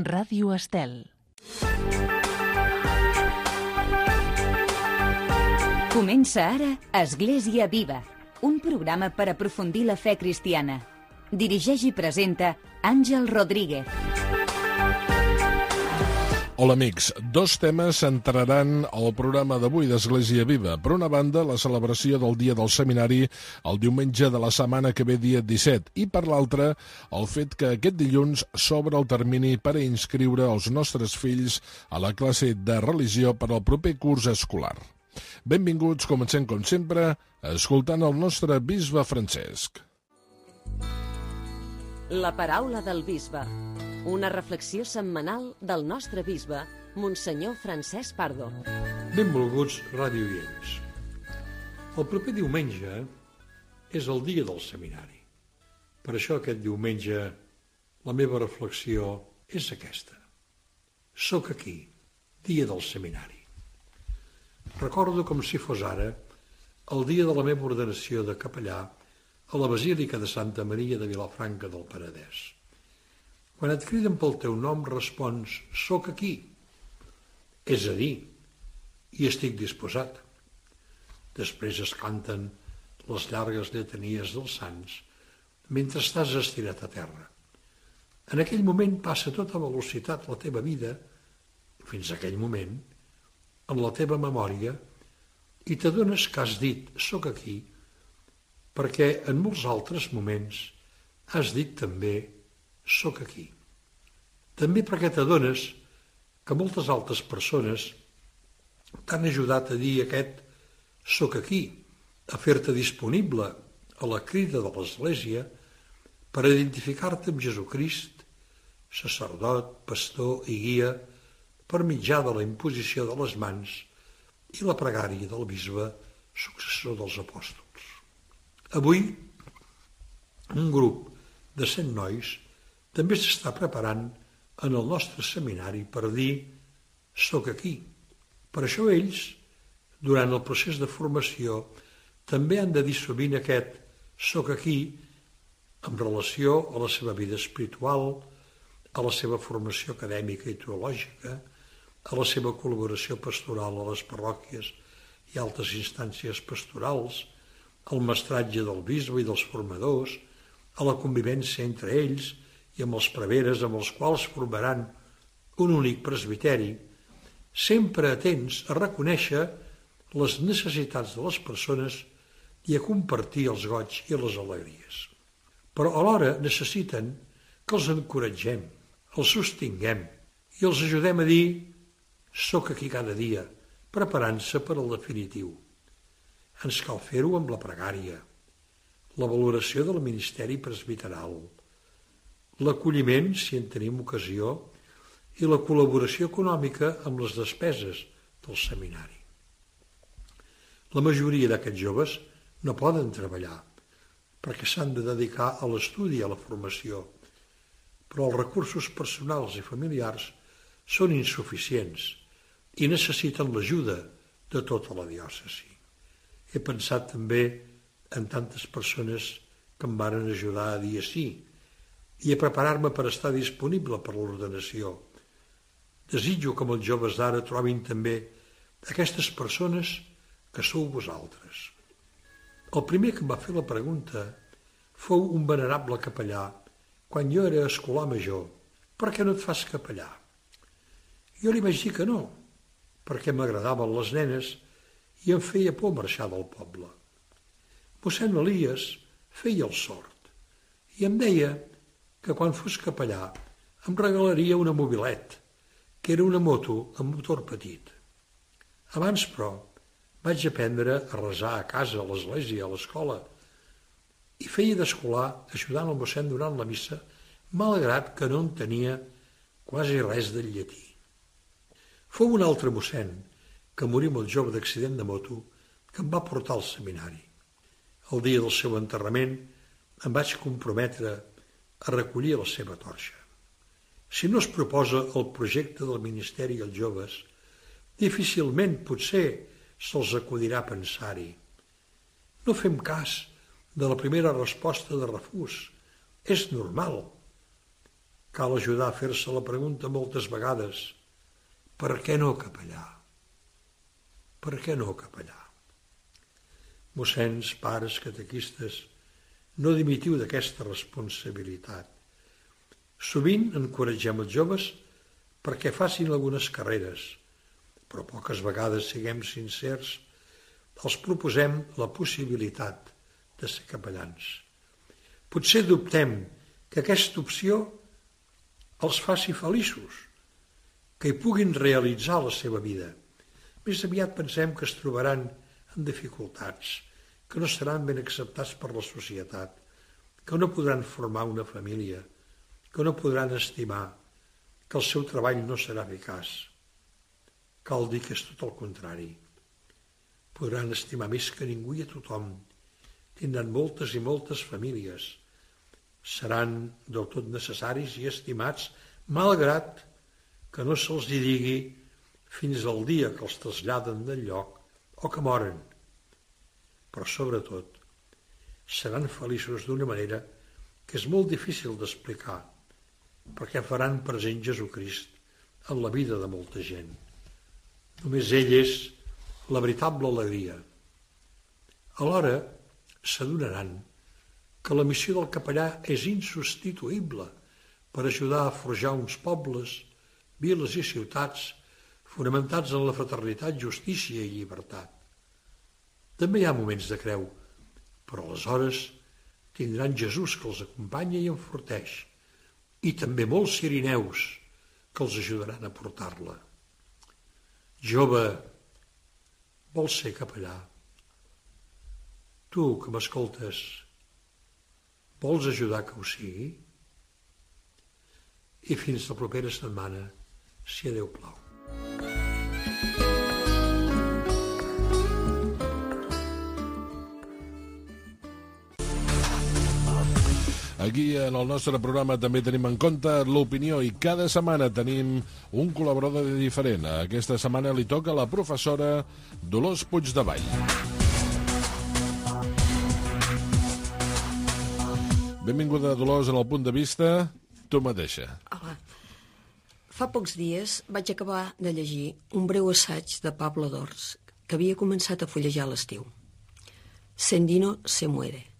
Ràdio Estel. Comença ara Església Viva, un programa per aprofundir la fe cristiana. Dirigeix i presenta Àngel Rodríguez. Hola amics, dos temes centraran el programa d'avui d'Església Viva. Per una banda, la celebració del Dia del Seminari el diumenge de la setmana que ve, dia 17, i per l'altra, el fet que aquest dilluns s'obre el termini per a inscriure els nostres fills a la classe de religió per al proper curs escolar. Benvinguts, comencem com sempre, escoltant el nostre bisbe Francesc. La paraula del bisbe. Una reflexió setmanal del nostre bisbe, Monsenyor Francesc Pardo. Benvolguts radioients. El proper diumenge és el dia del seminari. Per això aquest diumenge la meva reflexió és aquesta. Soc aquí, dia del seminari. Recordo com si fos ara el dia de la meva ordenació de capellà a la Basílica de Santa Maria de Vilafranca del Penedès. Quan et criden pel teu nom respons, soc aquí, és a dir, hi estic disposat. Després es canten les llargues lletanies dels sants mentre estàs estirat a terra. En aquell moment passa a tota velocitat la teva vida, fins a aquell moment, en la teva memòria, i t'adones que has dit soc aquí, perquè en molts altres moments has dit també soc aquí. També perquè t'adones que moltes altres persones t'han ajudat a dir aquest soc aquí, a fer-te disponible a la crida de l'Església per identificar-te amb Jesucrist, sacerdot, pastor i guia, per mitjà de la imposició de les mans i la pregària del bisbe successor dels apòstols. Avui, un grup de 100 nois també s'està preparant en el nostre seminari per dir soc aquí. Per això ells, durant el procés de formació, també han de dir sovint aquest soc aquí en relació a la seva vida espiritual, a la seva formació acadèmica i teològica, a la seva col·laboració pastoral a les parròquies i altres instàncies pastorals, al mestratge del bisbe i dels formadors, a la convivència entre ells i amb els preveres amb els quals formaran un únic presbiteri, sempre atents a reconèixer les necessitats de les persones i a compartir els goigs i les alegries. Però alhora necessiten que els encoratgem, els sostinguem i els ajudem a dir soc aquí cada dia, preparant-se per al definitiu. Ens cal fer-ho amb la pregària, la valoració del ministeri presbiteral, l'acolliment, si en tenim ocasió, i la col·laboració econòmica amb les despeses del seminari. La majoria d'aquests joves no poden treballar perquè s'han de dedicar a l'estudi i a la formació, però els recursos personals i familiars són insuficients i necessiten l'ajuda de tota la diòcesi. He pensat també en tantes persones que em varen ajudar a dir sí i a preparar-me per estar disponible per l'ordenació. Desitjo que els joves d'ara trobin també aquestes persones que sou vosaltres. El primer que em va fer la pregunta fou un venerable capellà quan jo era escolà major. Per què no et fas capellà? Jo li vaig dir que no, perquè m'agradaven les nenes i em feia por marxar del poble. Mossèn Elies feia el sord i em deia que quan fos capellà em regalaria una mobilet, que era una moto amb motor petit. Abans, però, vaig aprendre a resar a casa, a l'església, a l'escola, i feia d'escolà ajudant el mossèn durant la missa, malgrat que no entenia quasi res del llatí. Fou un altre mossèn, que morí molt jove d'accident de moto, que em va portar al seminari. El dia del seu enterrament em vaig comprometre a recollir la seva torxa. Si no es proposa el projecte del Ministeri als joves, difícilment potser se'ls acudirà a pensar-hi. No fem cas de la primera resposta de refús. És normal Cal ajudar a fer-se la pregunta moltes vegades: per què no capellà? Per què no capellà? Mossens, pares, catequistes, no dimitiu d'aquesta responsabilitat. Sovint encoratgem els joves perquè facin algunes carreres, però poques vegades, siguem sincers, els proposem la possibilitat de ser capellans. Potser dubtem que aquesta opció els faci feliços, que hi puguin realitzar la seva vida. Més aviat pensem que es trobaran en dificultats, que no seran ben acceptats per la societat, que no podran formar una família, que no podran estimar, que el seu treball no serà eficaç. Cal dir que és tot el contrari. Podran estimar més que ningú i a tothom. Tindran moltes i moltes famílies. Seran del tot necessaris i estimats, malgrat que no se'ls hi digui fins al dia que els traslladen del lloc o que moren. Però sobretot seran feliços d'una manera que és molt difícil d'explicar, perquè faran present Jesucrist en la vida de molta gent. Només ell és la veritable alegria. Alhora s'adonaran que la missió del capellà és insubstituïble per ajudar a forjar uns pobles, viles i ciutats fonamentats en la fraternitat, justícia i llibertat. També hi ha moments de creu, però aleshores tindran Jesús que els acompanya i enforteix, i també molts cirineus que els ajudaran a portar-la. Jove, vols ser capellà? Tu que m'escoltes, vols ajudar que ho sigui? I fins la propera setmana, si a Déu plau. Aquí en el nostre programa també tenim en compte l'opinió i cada setmana tenim un col·laborador diferent. Aquesta setmana li toca a la professora Dolors Puigdevall. Benvinguda, Dolors, en el punt de vista, tu mateixa. Hola. Fa pocs dies vaig acabar de llegir un breu assaig de Pablo Dors que havia començat a fullejar a l'estiu. Sendino se muere.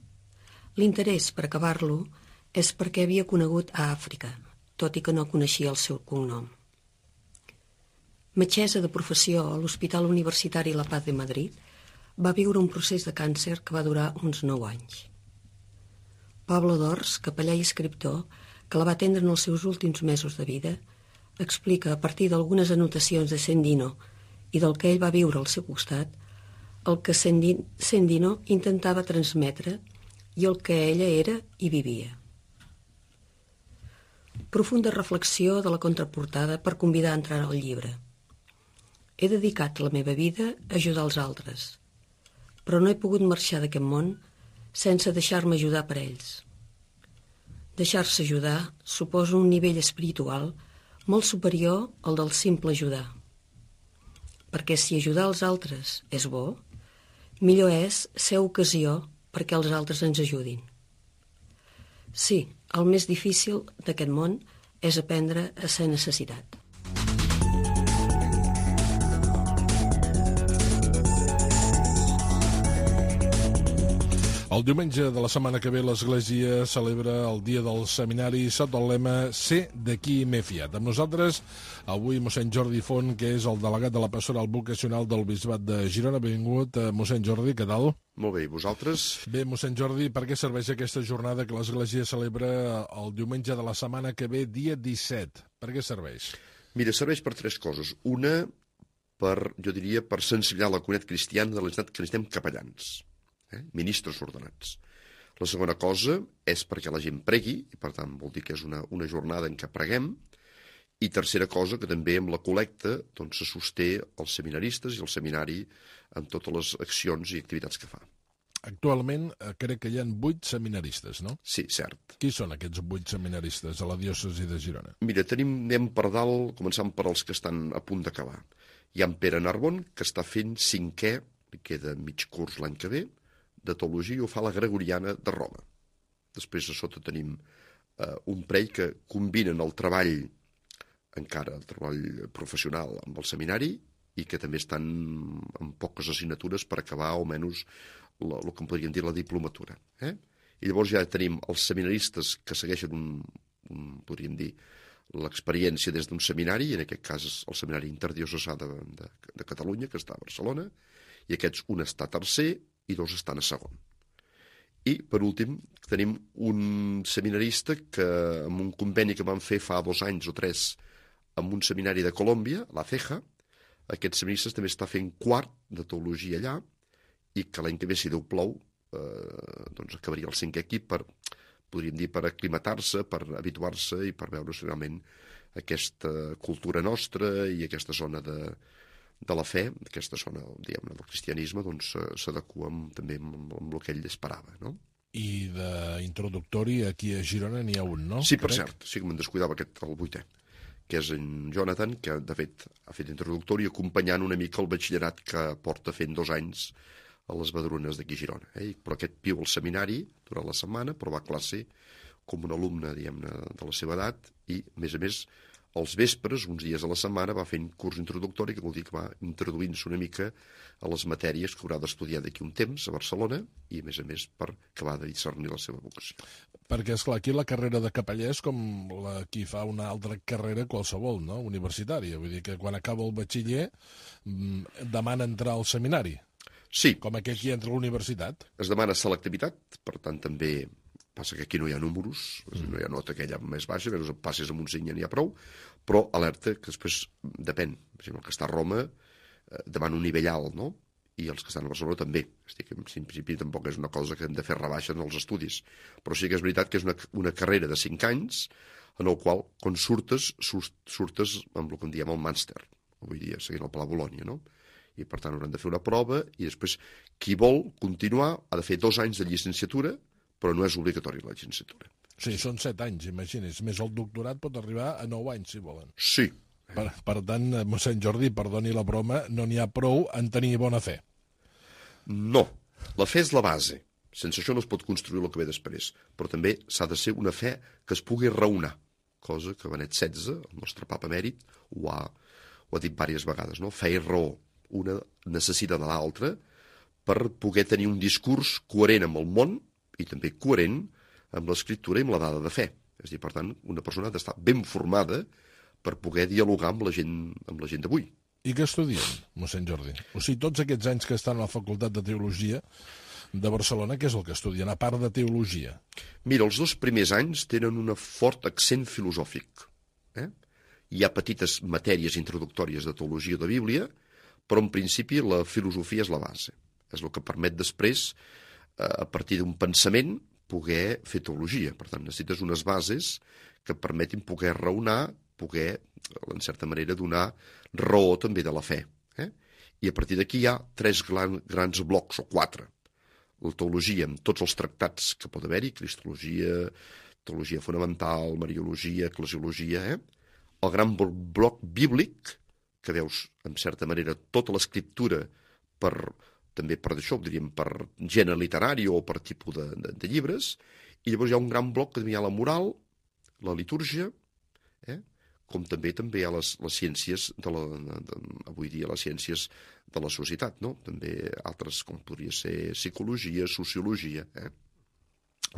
L'interès per acabar-lo és perquè havia conegut a Àfrica, tot i que no coneixia el seu cognom. Metgessa de professió a l'Hospital Universitari La Paz de Madrid, va viure un procés de càncer que va durar uns 9 anys. Pablo Dors, capellà i escriptor, que la va atendre en els seus últims mesos de vida, explica a partir d'algunes anotacions de Sendino i del que ell va viure al seu costat el que Sendino intentava transmetre i el que ella era i vivia. Profunda reflexió de la contraportada per convidar a entrar al llibre. He dedicat la meva vida a ajudar els altres, però no he pogut marxar d'aquest món sense deixar-me ajudar per ells. Deixar-se ajudar suposa un nivell espiritual molt superior al del simple ajudar. Perquè si ajudar els altres és bo, millor és ser ocasió perquè els altres ens ajudin. Sí, el més difícil d'aquest món és aprendre a ser necessitat. El diumenge de la setmana que ve l'Església celebra el dia del seminari sota el lema «Sé de qui m'he fiat». Amb nosaltres, avui, mossèn Jordi Font, que és el delegat de la pastoral vocacional del Bisbat de Girona. Benvingut, mossèn Jordi, què tal? Molt bé, i vosaltres? Bé, mossèn Jordi, per què serveix aquesta jornada que l'Església celebra el diumenge de la setmana que ve, dia 17? Per què serveix? Mira, serveix per 3 coses. Una, jo diria, per sensibilitzar la comunitat cristiana de la necessitat que necessitem capellans. Ministres ordenats. La segona cosa és perquè la gent pregui, i per tant vol dir que és una jornada en què preguem, i tercera cosa, que també amb la col·lecta doncs, se sosté els seminaristes i el seminari en totes les accions i activitats que fa. Actualment crec que hi ha 8 seminaristes, no? Sí, cert. Qui són aquests 8 seminaristes a la diòcesi de Girona? Mira, anem per dalt, començant per els que estan a punt d'acabar. Hi ha en Pere Narbon, que està fent 5è, li queda mig curs l'any que ve, de teologia, ho fa la Gregoriana de Roma. Després a sota tenim un parell que combinen el treball professional amb el seminari i que també estan en poques assignatures per acabar almenys el que en podríem dir la diplomatura. I llavors ja tenim els seminaristes que segueixen podríem dir, l'experiència des d'un seminari, en aquest cas el seminari interdiocesà de Catalunya, que està a Barcelona, i aquests un està a tercer i dos estan a segon. I, per últim, tenim un seminarista que, amb un conveni que van fer fa 2 anys o 3 amb un seminari de Colòmbia, la CEJA, aquest seminarista també està fent quart de teologia allà i que l'any que ve, si Déu plou, doncs acabaria el 5è equip podríem dir, per aclimatar-se, per habituar-se i per veure si realment aquesta cultura nostra i aquesta zona de la fe, aquesta zona, diguem-ne, del cristianisme, doncs s'adequa també amb el que ell esperava, no? I d'introductori aquí a Girona n'hi ha un, no? Sí, per cert, sí que me'n descuidava el 8è, que és en Jonathan, que de fet ha fet introductori acompanyant una mica el batxillerat que porta fent 2 anys a les Badrunes d'aquí a Girona. Però aquest viu al seminari durant la setmana, però va a classe com un alumne, diguem-ne, de la seva edat i, a més, els vespres, uns dies a la setmana, va fent curs introductori, que vol dir que va introduint-se una mica a les matèries que haurà d'estudiar d'aquí un temps a Barcelona i, a més, per acabar de discernir la seva vocació. Perquè, esclar, aquí la carrera de capellà és com qui fa una altra carrera qualsevol, no?, universitària. Vull dir que quan acaba el batxiller demana entrar al seminari. Sí. Com aquell que entra a la universitat. Es demana selectivitat, per tant també passa que aquí no hi ha números, no hi ha nota aquella més baixa, menys passes amb un 5 ja n'hi ha prou, però alerta que després depèn. Per exemple, el que està a Roma demana un nivell alt, no? I els que estan a Barcelona també. Estic, en principi tampoc és una cosa que hem de fer rebaixa en els estudis, però sí que és veritat que és una carrera de 5 anys en el qual, quan surtes amb el que en diem el màster, avui dia seguint el Pla Bolònia, no? I per tant hauran de fer una prova i després qui vol continuar ha de fer 2 anys de llicenciatura, però no és obligatori la llicenciatura. Sí, són 7 anys, imagini's. Més el doctorat pot arribar a 9 anys, si volen. Sí. Per tant, mossèn Jordi, perdoni la broma, no n'hi ha prou en tenir bona fe. No, la fe és la base. Sense això no es pot construir el que ve després. Però també s'ha de ser una fe que es pugui raonar, cosa que Benet XVI, el nostre papa emèrit, ho ha dit diverses vegades, no? Fe i raó. Una necessita de l'altra per poder tenir un discurs coherent amb el món i també coherent amb l'escriptura i amb la dada de fe. És a dir, per tant, una persona ha d'estar ben formada per poder dialogar amb la gent d'avui. I què estudien, mossèn Jordi? O sigui, tots aquests anys que estan a la Facultat de Teologia de Barcelona, què és el que estudien, a part de teologia? Mira, els 2 primers anys tenen un fort accent filosòfic. Hi ha petites matèries introductòries de teologia de Bíblia, però en principi la filosofia és la base. És el que permet després, a partir d'un pensament, poder fer teologia. Per tant, necessites unes bases que permetin poder raonar, poder, en certa manera, donar raó també de la fe. I a partir d'aquí hi ha 3 grans blocs, o 4. La teologia, amb tots els tractats que pot haver-hi, cristologia, teologia fonamental, mariologia, eclesiologia, el gran bloc bíblic, que veus, en certa manera, tota l'escriptura també per això, diríem, per gènere literari o per tipus de llibres, i llavors hi ha un gran bloc que també hi ha la moral, la litúrgia, com també hi ha les ciències, avui dia les ciències de la societat, no? També altres, com podria ser psicologia, sociologia.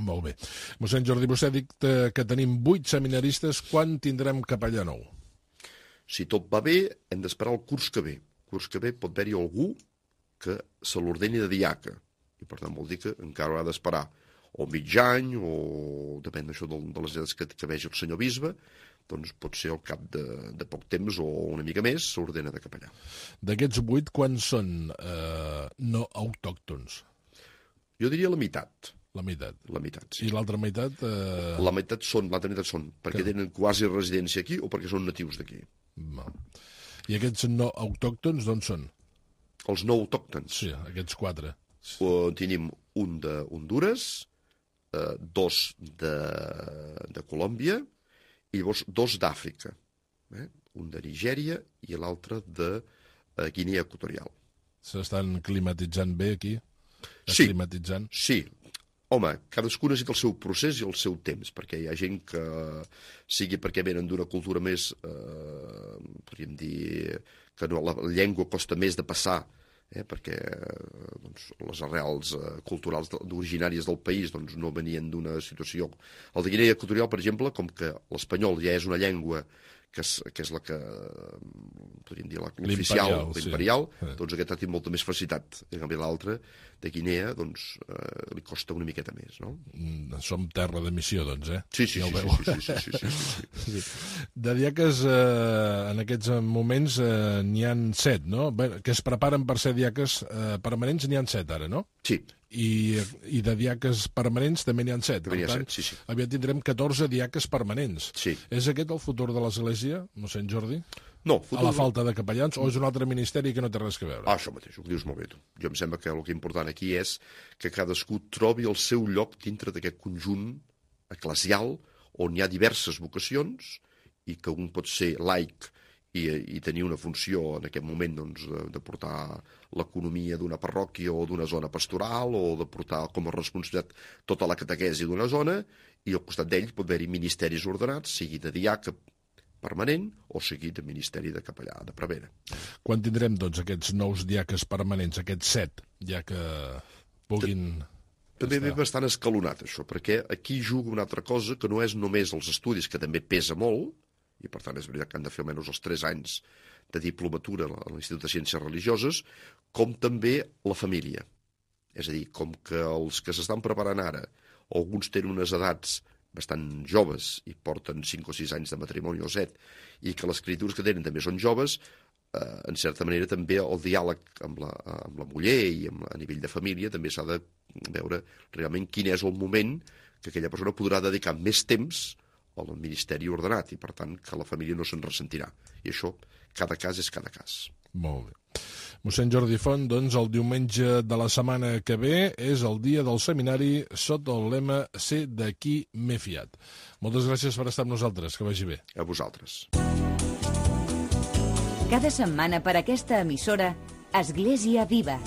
Molt bé. Mossèn Jordi, vostè ha dit que tenim 8 seminaristes. Quan tindrem capellà nou? Si tot va bé, hem d'esperar el curs que ve. El curs que ve pot haver-hi algú que se l'ordeni de diaca. I per tant vol dir que encara haurà d'esperar o mig any, o depèn d'això de les edats que vegi el senyor bisbe, doncs pot ser al cap de poc temps o una mica més s'ordena de capellà. D'aquests 8, quants són no autòctons? Jo diria la meitat. La meitat. La meitat, sí. I l'altra meitat? L'altra meitat són perquè tenen quasi residència aquí o perquè són natius d'aquí. I aquests no autòctons d'on són? Els no autòctons? Sí, aquests 4. Tenim un d'Honduras, 2 de Colòmbia i llavors 2 d'Àfrica. Un de Nigèria i l'altre de Guinea Equatorial. S'estan climatitzant bé aquí? Sí, climatitzant? sí. Home, cadascú necessita el seu procés i el seu temps, perquè hi ha gent que, sigui perquè venen d'una cultura més, podríem dir, que no, la llengua costa més de passar, perquè doncs, les arrels culturals originàries del país doncs, no venien d'una situació. El de Guinea Equatorial, per exemple, com que l'espanyol ja és una llengua que és la que, podríem dir, l'oficial, l'imperial, sí. Doncs aquest ha tingut molta més facilitat. En canvi, l'altre, de Guinea, doncs, li costa una miqueta més, no? Som terra de missió, doncs, eh? Sí. De diaques, en aquests moments, n'hi han 7, no? Bé, que es preparen per ser diaques permanents, n'hi han 7 ara, no? Sí. I de diaques permanents també n'hi ha 7. Per tant, sí. aviat tindrem 14 diaques permanents. Sí. És aquest el futur de l'Església, mossèn Jordi? No. A la falta de capellans, o és un altre ministeri que no té res a veure? Això mateix, ho dius molt bé, tu. Jo em sembla que el que és important aquí és que cadascú trobi el seu lloc dintre d'aquest conjunt eclesial on hi ha diverses vocacions i que un pot ser laic i tenir una funció en aquest moment doncs, de portar l'economia d'una parròquia o d'una zona pastoral o de portar com a responsabilitat tota la catequesi d'una zona, i al costat d'ell pot haver-hi ministeris ordenats, sigui de diaca permanent o sigui de ministeri de capellà, de prevere. Quan tindrem doncs, aquests nous diaques permanents, aquests 7, ja que puguin... També ve bastant escalonat, això, perquè aquí juga una altra cosa que no és només els estudis, que també pesa molt, i per tant és veritat que han de fer almenys els 3 anys de diplomatura a l'Institut de Ciències Religioses, com també la família. És a dir, com que els que s'estan preparant ara, alguns tenen unes edats bastant joves i porten 5 o 6 anys de matrimoni o 7, i que les criatures que tenen també són joves, en certa manera també el diàleg amb la muller i a nivell de família també s'ha de veure realment quin és el moment que aquella persona podrà dedicar més temps al ministeri ordenat i, per tant, que la família no se'n ressentirà. I això, cada cas és cada cas. Molt bé. Mossèn Jordi Font, doncs, el diumenge de la setmana que ve és el dia del seminari sota el lema «Sé de qui m'he fiat». Moltes gràcies per estar amb nosaltres. Que vagi bé. A vosaltres. Cada setmana per aquesta emissora, Església Viva.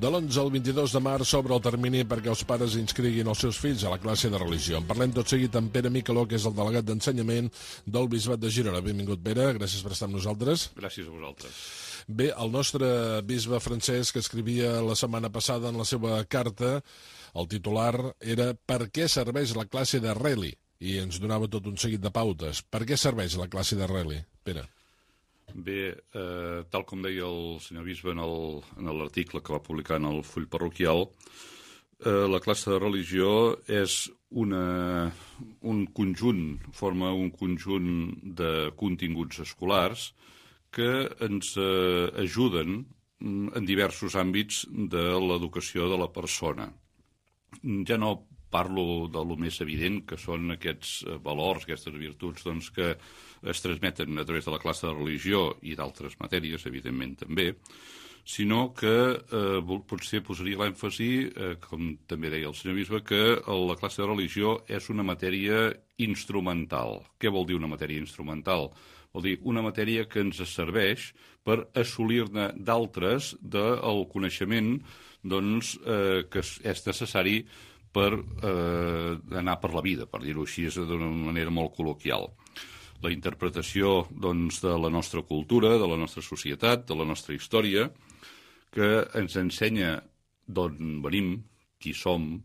De l'11 al 22 de març s'obre el termini perquè els pares inscriguin els seus fills a la classe de religió. En parlem tot seguit amb Pere Micheló, que és el delegat d'ensenyament del Bisbat de Girona. Benvingut, Pere, gràcies per estar amb nosaltres. Gràcies a vosaltres. Bé, el nostre bisbe Francesc escrivia la setmana passada en la seva carta, el titular era «Per què serveix la classe de Reli?» i ens donava tot un seguit de pautes. Per què serveix la classe de Reli, Pere? Bé, tal com deia el senyor bisbe en l'article que va publicar en el full parroquial, la classe de religió és un conjunt, forma un conjunt de continguts escolars que ens ajuden en diversos àmbits de l'educació de la persona. Ja no parlo de lo més evident, que són aquests valors, aquestes virtuts doncs, que es transmeten a través de la classe de religió i d'altres matèries, evidentment també, sinó que potser posaria l'èmfasi, com també deia el senyor bisbe, que la classe de religió és una matèria instrumental. Què vol dir una matèria instrumental? Vol dir una matèria que ens serveix per assolir-ne d'altres del coneixement doncs, que és necessari per anar per la vida, per dir-ho així d'una manera molt col·loquial. La interpretació doncs, de la nostra cultura, de la nostra societat, de la nostra història, que ens ensenya d'on venim, qui som,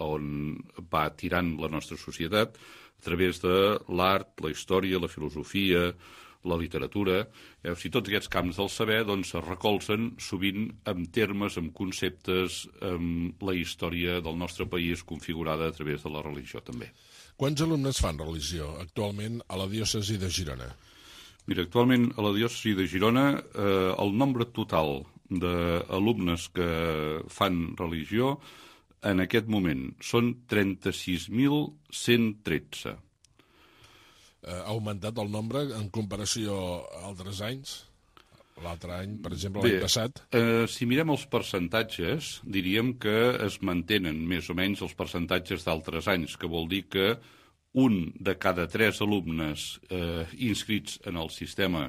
on va tirant la nostra societat, a través de l'art, la història, la filosofia, la literatura. O sigui, tots aquests camps del saber doncs, es recolzen sovint amb termes, amb conceptes, amb la història del nostre país configurada a través de la religió també. Quants alumnes fan religió actualment a la diòcesi de Girona? Mira, actualment a la diòcesi de Girona el nombre total d'alumnes que fan religió en aquest moment són 36.113. Ha augmentat el nombre en comparació a altres anys? L'altre any, per exemple, l'any passat? Si mirem els percentatges, diríem que es mantenen més o menys els percentatges d'altres anys, que vol dir que un de cada 3 alumnes inscrits en el sistema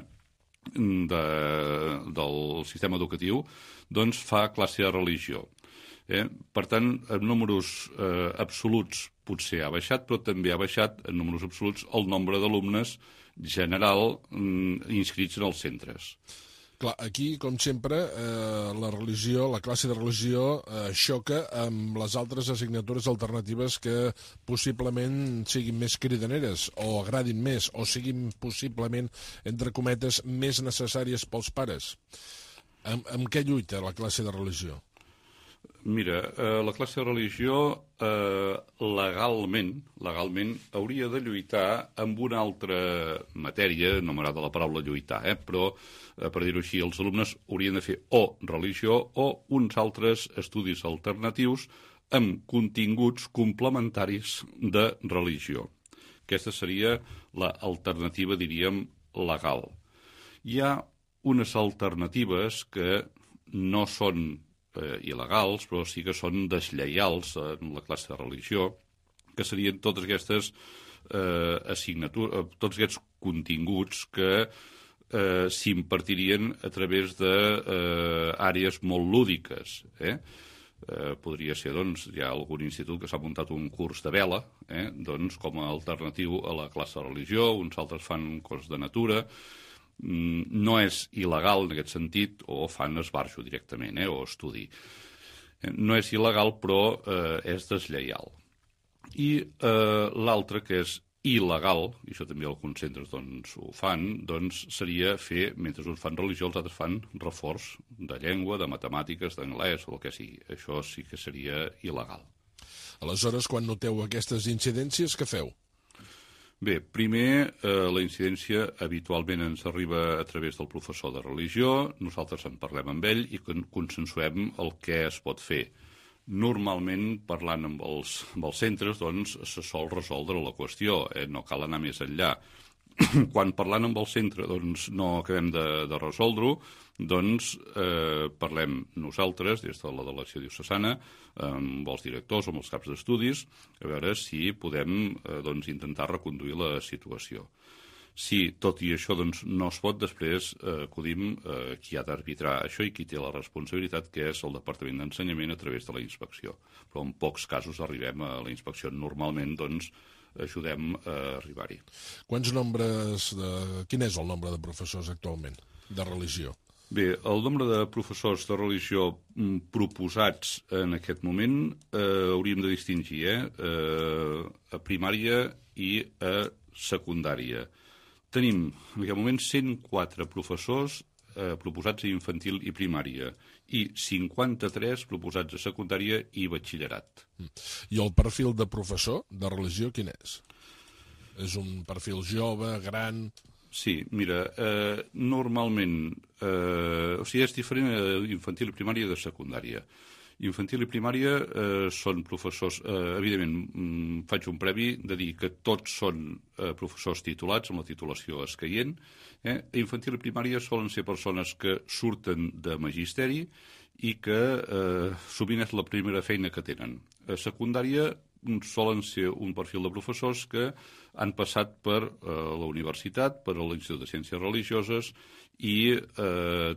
del sistema educatiu doncs fa classe de religió. Per tant, en números absoluts potser ha baixat, però també ha baixat en números absoluts el nombre d'alumnes general inscrits en els centres. Clar, aquí, com sempre, la religió, la classe de religió xoca amb les altres assignatures alternatives que possiblement siguin més cridaneres o agradin més o siguin possiblement, entre cometes, més necessàries pels pares. Amb què lluita la classe de religió? Mira, la classe de religió legalment hauria de lluitar amb una altra matèria, no m'agrada la paraula lluitar, però per dir-ho així, els alumnes haurien de fer o religió o uns altres estudis alternatius amb continguts complementaris de religió. Aquesta seria l'alternativa, diríem, legal. Hi ha unes alternatives que no són il·legals, però sí que són deslleials en la classe de religió, que serien totes aquestes assignatures, tots aquests continguts que s'impartirien a través d'àrees molt lúdiques. Podria ser, doncs, hi ha algun institut que s'ha muntat un curs de vela, doncs, com a alternatiu a la classe de religió, uns altres fan coses de natura. No és il·legal en aquest sentit, o fan esbarjo directament, o estudi. No és il·legal, però és deslleial. I l'altre, que és il·legal, i això també alguns centres doncs, ho fan, doncs seria fer, mentre uns fan religió, els altres fan reforç de llengua, de matemàtiques, d'anglès, o el que sigui. Això sí que seria il·legal. Aleshores, quan noteu aquestes incidències, què feu? Bé, primer, la incidència habitualment ens arriba a través del professor de religió, nosaltres en parlem amb ell i consensuem el que es pot fer. Normalment, parlant amb els centres, doncs, se sol resoldre la qüestió, no cal anar més enllà. Quan parlant amb el centre doncs, no acabem de resoldre-ho, doncs parlem nosaltres, des de la delegació diocesana, amb els directors o amb els caps d'estudis, a veure si podem doncs, intentar reconduir la situació. Si tot i això doncs, no es pot, després acudim qui ha d'arbitrar això i qui té la responsabilitat, que és el Departament d'Ensenyament a través de la inspecció. Però en pocs casos arribem a la inspecció. Normalment, doncs, ajudem a arribar-hi. Quin és el nombre de professors actualment de religió? Bé, el nombre de professors de religió proposats en aquest moment hauríem de distingir a primària i a secundària. Tenim en aquest moment 104 professors proposats a infantil i primària i 53 proposats a secundària i batxillerat. I el perfil de professor de religió quin és? És un perfil jove, gran? Sí, mira, normalment, és diferent a infantil i primària de secundària. Infantil i primària són professors, evidentment, faig un previ de dir que tots són professors titulats, amb la titulació escaient. A infantil i primària solen ser persones que surten de magisteri i que sovint és la primera feina que tenen. A secundària solen ser un perfil de professors que han passat per la universitat, per l'Institut de Ciències Religioses i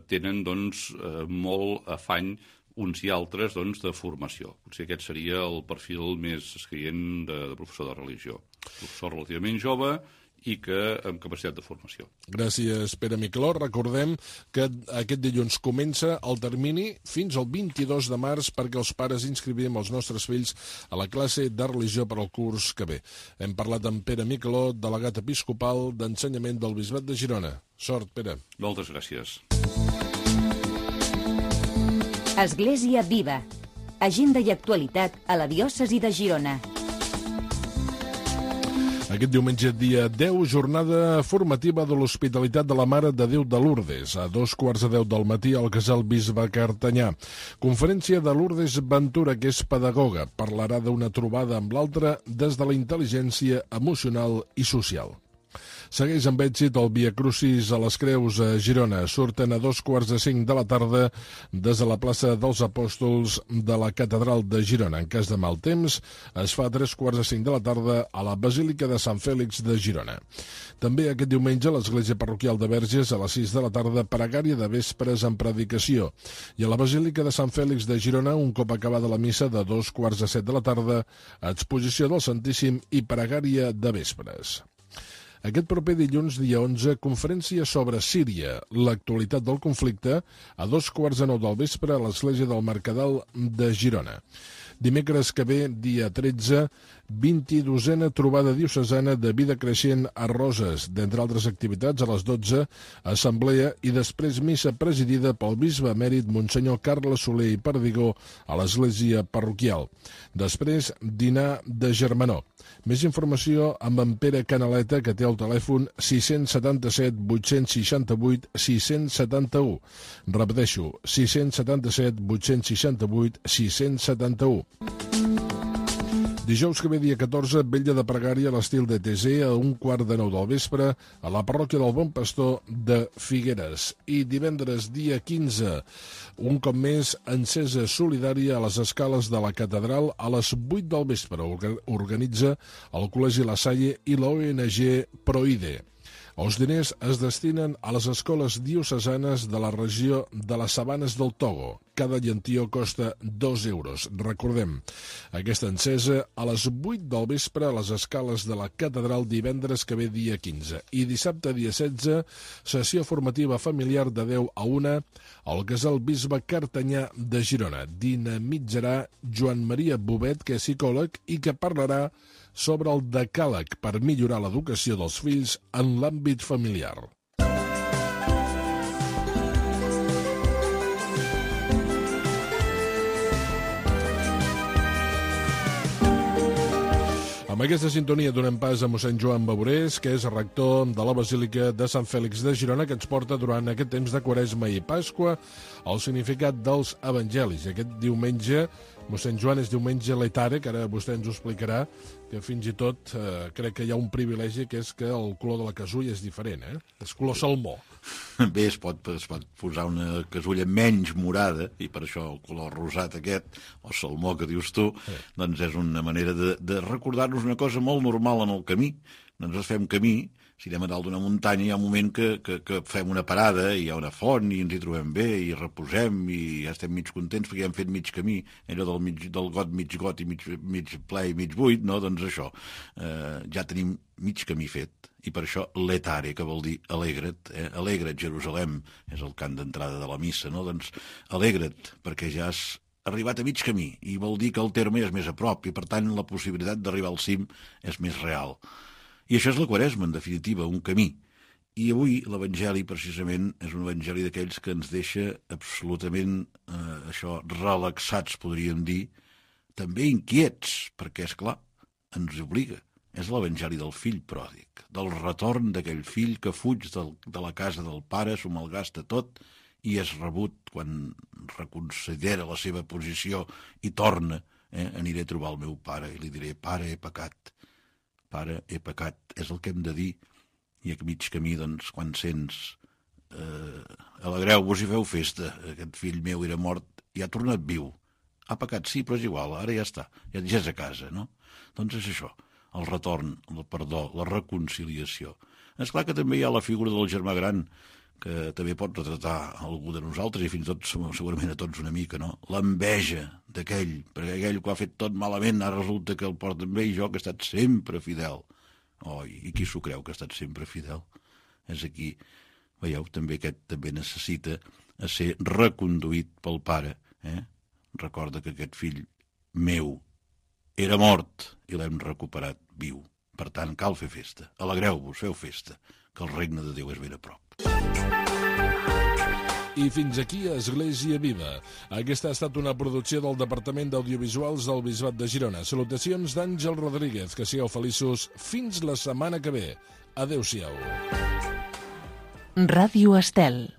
tenen doncs, molt afany uns i altres doncs, de formació. Potser aquest seria el perfil més escaient de professor de religió. Professor relativament jove i amb capacitat de formació. Gràcies, Pere Miqueló. Recordem que aquest dilluns comença el termini fins al 22 de març perquè els pares inscrivim els nostres fills a la classe de religió per al curs que ve. Hem parlat amb Pere Miqueló, delegat episcopal d'Ensenyament del Bisbat de Girona. Sort, Pere. Moltes gràcies. Església Viva. Agenda i actualitat a la diòcesi de Girona. Aquest diumenge, dia 10, jornada formativa de l'Hospitalitat de la Mare de Déu de Lourdes, a 2:15 del matí al Casal Bisbe Cartanyà. Conferència de Lourdes Ventura, que és pedagoga, parlarà d'una trobada amb l'altre des de la intel·ligència emocional i social. Segueix amb èxit el Via Crucis a les Creus a Girona. Surten a 4:45 de la tarda des de la plaça dels Apòstols de la Catedral de Girona. En cas de mal temps, es fa a 3:45 de la tarda a la Basílica de Sant Fèlix de Girona. També aquest diumenge a l'Església Parroquial de Verges a les 6 de la tarda, pregària de vespres en predicació. I a la Basílica de Sant Fèlix de Girona, un cop acabada la missa de 6:45 de la tarda, exposició del Santíssim i pregària de vespres. Aquest proper dilluns, dia 11, conferència sobre Síria, l'actualitat del conflicte, a 9:15 del vespre a l'Església del Mercadal de Girona. Dimecres que ve, dia 13, 22a trobada diocesana de vida creixent a Roses, d'entre altres activitats, a les 12, assemblea i després missa presidida pel bisbe emèrit Monsenyor Carles Soler i Perdigó a l'església parroquial. Després, dinar de germanor. Més informació amb en Pere Canaleta, que té el telèfon 677 868 671. Repeteixo, 677 868 671. Dijous que ve, dia 14, vetlla de pregària a l'estil de TC a 8:15 del vespre a la parròquia del Bon Pastor de Figueres. I divendres, dia 15, un cop més, encesa solidària a les escales de la catedral a les 8 del vespre. Organitza el Col·legi La Salle i la ONG Proide. Els diners es destinen a les escoles diocesanes de la regió de les Sabanes del Togo. Cada llentió costa 2 euros. Recordem, aquesta encesa a les 8 del vespre a les escales de la catedral divendres que ve, dia 15. I dissabte, dia 16, sessió formativa familiar de 10 a 1 al Casal Bisbe Cartanyà de Girona. Dinamitzarà Joan Maria Bobet, que és psicòleg i que parlarà sobre el decàleg per millorar l'educació dels fills en l'àmbit familiar. Amb aquesta sintonia donem pas a mossèn Joan Baborés, que és rector de la Basílica de Sant Fèlix de Girona, que ens porta durant aquest temps de Quaresma i Pasqua el significat dels evangelis. Aquest diumenge, mossèn Joan, és diumenge letare, que ara vostè ens ho explicarà, que fins i tot crec que hi ha un privilegi, que és que el color de la casulla és diferent, és color salmó. Bé, es pot posar una casulla menys morada, i per això el color rosat aquest, o salmó que dius tu, doncs és una manera de recordar-nos una cosa molt normal en el camí. Nosaltres fem camí, si anem a dalt d'una muntanya, hi ha un moment que fem una parada, hi ha una font, i ens hi trobem bé, i reposem, i ja estem mig contents perquè ja hem fet mig camí, allò del got i mig ple i mig buit, no? Doncs això, ja tenim mig camí fet, i per això letare, que vol dir alegra't, alegra't, Jerusalem, és el cant d'entrada de la missa, no? Doncs alegra't, perquè ja has arribat a mig camí, i vol dir que el terme és més a prop, i per tant la possibilitat d'arribar al cim és més real. I això és la Quaresma, en definitiva, un camí. I avui l'Evangeli, precisament, és un Evangeli d'aquells que ens deixa absolutament, relaxats, podríem dir, també inquiets, perquè, és clar, ens obliga. És l'Evangeli del fill pròdig, del retorn d'aquell fill que fuig de la casa del pare, s'ho malgasta tot, i és rebut quan reconsidera la seva posició i torna, aniré a trobar el meu pare i li diré, pare, he pecat. Pare, he pecat, és el que hem de dir. I a mig camí, doncs, quan sents alegreu-vos i feu festa, aquest fill meu era mort i ha tornat viu. Ha pecat, sí, però és igual, ara ja està, ja és a casa, no? Doncs és això, el retorn, el perdó, la reconciliació. És clar que també hi ha la figura del germà gran, que també pot retratar algú de nosaltres, i fins i tot, segurament a tots una mica, no? L'enveja d'aquell, perquè aquell que ho ha fet tot malament, ara resulta que el porta amb ell, jo que he estat sempre fidel. I qui s'ho creu que ha estat sempre fidel? És aquí, veieu, també aquest també necessita ser reconduït pel pare. Recorda que aquest fill meu era mort i l'hem recuperat viu. Per tant, cal fer festa. Alegreu-vos, feu festa, que el regne de Déu és ben a prop. I fins aquí Església Viva. Aquesta ha estat una producció del Departament d'Audiovisuals del Bisbat de Girona. Salutacions d'Àngel Rodríguez. Que sigueu feliços fins la setmana que ve. Adéu-siau. Ràdio Estel.